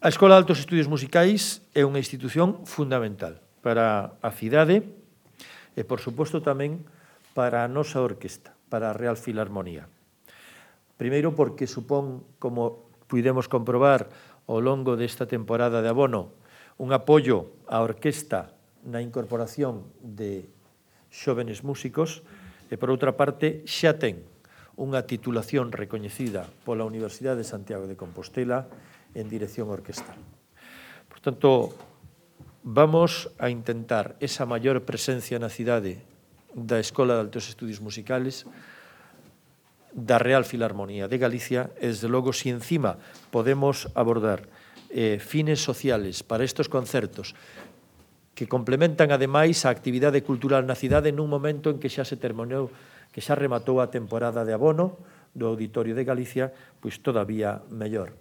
A Escola de Altos Estudios Musicais é unha institución fundamental para a cidade e, por suposto, tamén para a nosa orquesta, para a Real Filarmonía. Primeiro, porque supón, como pudemos comprobar ao longo desta temporada de abono, un apoio á orquesta na incorporación de xóvenes músicos e, por outra parte, xa ten unha titulación recoñecida pola Universidade de Santiago de Compostela en dirección orquestal. Por tanto, vamos a intentar esa maior presencia na cidade da Escola de Altos Estudios Musicales, da Real Filarmonía de Galicia, e, desde logo, si encima podemos abordar fines sociales para estes concertos que complementan, ademais, a actividade cultural na cidade nun momento en que xa se terminou, que xa rematou a temporada de abono do Auditorio de Galicia, pois todavía mellor.